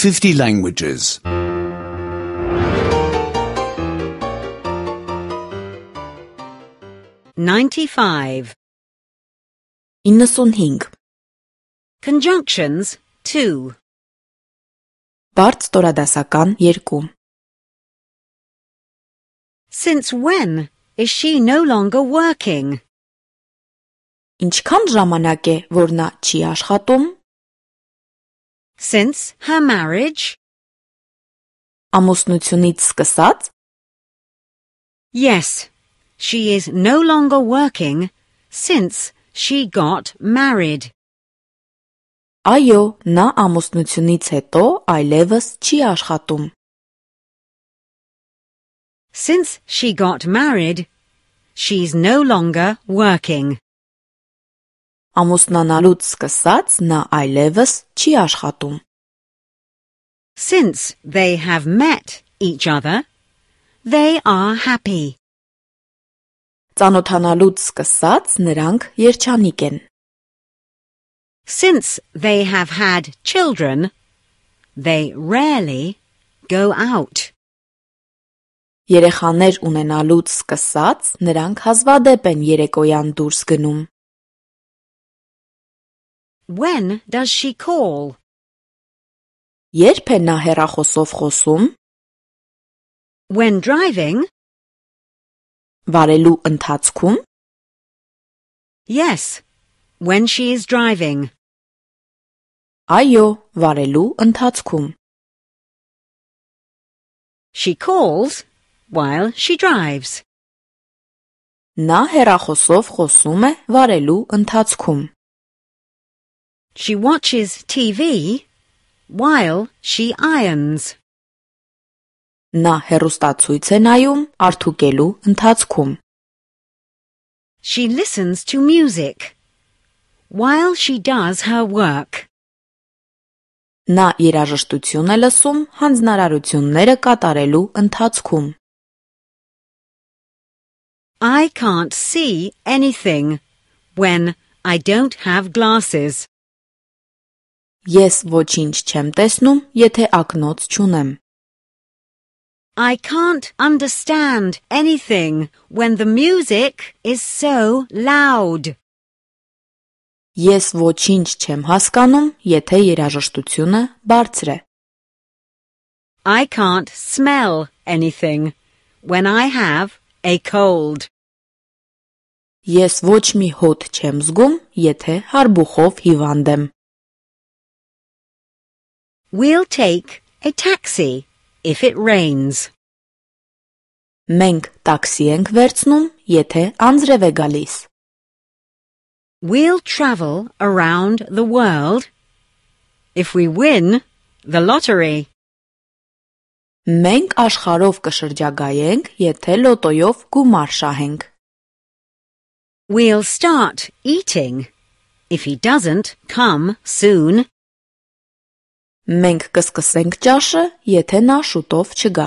50 languages. 95. 95. Conjunctions 2. Բարդ ստորադասական 2. Since when is she no longer working? Ինչքան ժամանակ է, որ նա չի աշխատում? Since her marriage? Ամուսնությունից սկսած? Yes, she is no longer working since she got married. Այո, նա ամուսնությունից հետո այլևս չի աշխատում. Since she got married, she's no longer working. Ամուսնանալուց սկսած նա այլևս չի աշխատում. Since they have met each other, they are happy. Ծանոթանալուց սկսած նրանք երջանիկ են. Since they have had children, they rarely go out. Երեխաներ ունենալուց սկսած նրանք հազվադեպ են երեկոյան դուրս գնում. When does she call? Երբ է նա հեռախոսով խոսում? When driving? Վարելու ընթացքում? Yes, when she is driving. Այո, վարելու ընթացքում. She calls while she drives. Նա հեռախոսով խոսում է վարելու ընթացքում. She watches TV while she irons. Նա հեռուստացույց է նայում արդուկելու ընթացքում. She listens to music while she does her work. Նա երաժշտություն է լսում հանձնարարությունները կատարելու ընթացքում. I can't see anything when I don't have glasses. Ես ոչինչ չեմ տեսնում, եթե ակնոց չունեմ. I can't understand anything when the music is so loud. Ես ոչինչ չեմ հասկանում, եթե երաժշտությունը բարձր է. I can't smell anything when I have a cold. Ես ոչ մի հոտ չեմ զգում, եթե հարբուխով հիվանդ եմ. We'll take a taxi if it rains. Մենք տաքսի ենք վերցնում, եթե անձրև է գալիս. We'll travel around the world if we win the lottery. Մենք աշխարհով կշրջագայենք, եթե լոտոյով գումար շահենք. We'll start eating if he doesn't come soon. Մենք կսկսենք ճաշը, եթե նա շուտով չգա.